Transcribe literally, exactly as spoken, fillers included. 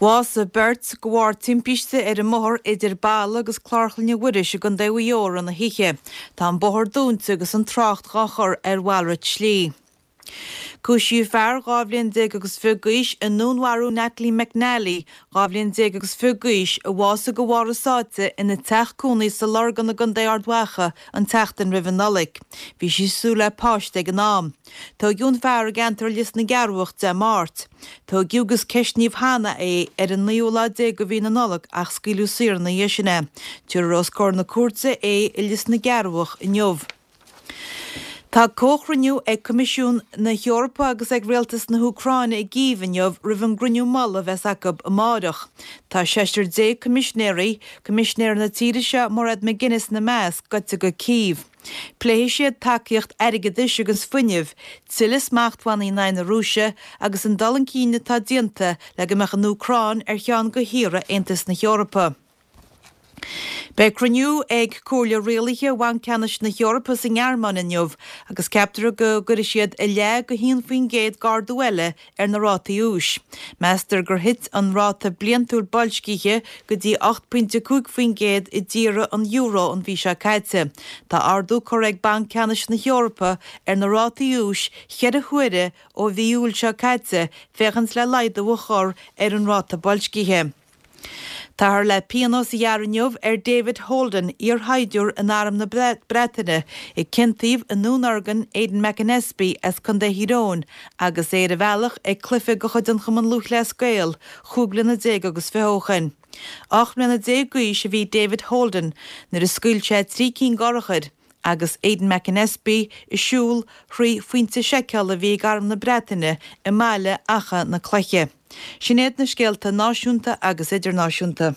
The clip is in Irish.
Bhásaigh beirt de bharr timpiste ar an mbóthar idir Balla agus Clár Chlainne Mhuiris i gContae Mhaigh Eo na hoíche. Tá an bóthar dúnta agus an trácht á chur ar mhalrait slí. Cúisíodh fear dhá bhliain déag agus fiche d'aois i ndúnmharú Natalie McNally, dhá bhliain déag agus fiche d'aois, a bhásaigh de bharr a sáite ina teach cónaí sa Lorgan i gContae Ard Mhacha an tseachtain roimh an Nollaig. Bhí sí ag súil le páiste ag an am. Tógadh an fear i gceantar Lios na gCearrbhach Dé Máirt. Tógadh agus ceistníodh cheana é ar an naoú lá déag de mhí na Nollag ach scaoileadh saor ina dhiaidh sin é. Tabharfar os comhair na cúirte é i Lios na gCearrbhach inniu. Tá comhchruinniú ag Coimisiún na hEorpa agus ag Rialtas na hÚcráine i gCív inniu roimh an gcruinniú mullaigh a bheas acu amárach. Tá seisear déag coimisinéirí, coimisinéir na tíre seo Mairead McGuinness ina measc, gaibhte go Cív. Pléifidh siad tacaíocht airgeadais agus fuinnimh, tuilleadh smachtbhannaí in aghaidh na Rúise agus an dul chun cinn atá déanta le go mbeadh an Úcráin ar cheann de thíortha Aontas na hEorpa. Beidh cruinniú ag Comhairle Rialaithe Bhanc Ceannais na hEorpa sa nGearmáin inniu agus ceaptar go gcuirfidh siad a leath go haon faoin gcéad d'ardú eile ar na rátaí úis. Meastar gur thit an ráta bliantúil boilscithe go dtí ocht pointe cúig faoin gcéad i dtíortha an euro an mhí seo caite. Tá ardú curtha ag Banc Ceannais na hEorpa ar na rátaí úis cheithre huaire ó mhí Iúil seo caite féachaint le laghdú a chur ar an ráta boilscithe. Táthar le pionós a ghearradh inniu ar David Holden, iarshaighdiúir in Arm na Breataine, a ciontaíodh i ndúnorgain Aidan McAnespie as Contae Thír Eoghain agus é ar a bhealach ag cluiche de chuid an Chumann Lúthchleas Gael chúig bliana déag agus fiche ó shin. Ocht mbliana déag d'aois a bhí David Holden nuair a scaoil sé trí cinn d'urchair agus Aidan McAnespie ag siúl thrí phointe seiceála a bhí ag Arm na Breataine i mbaile Achadh na Cloiche. Sin iad na scéalta náisiúnta agus idirnáisiúnta.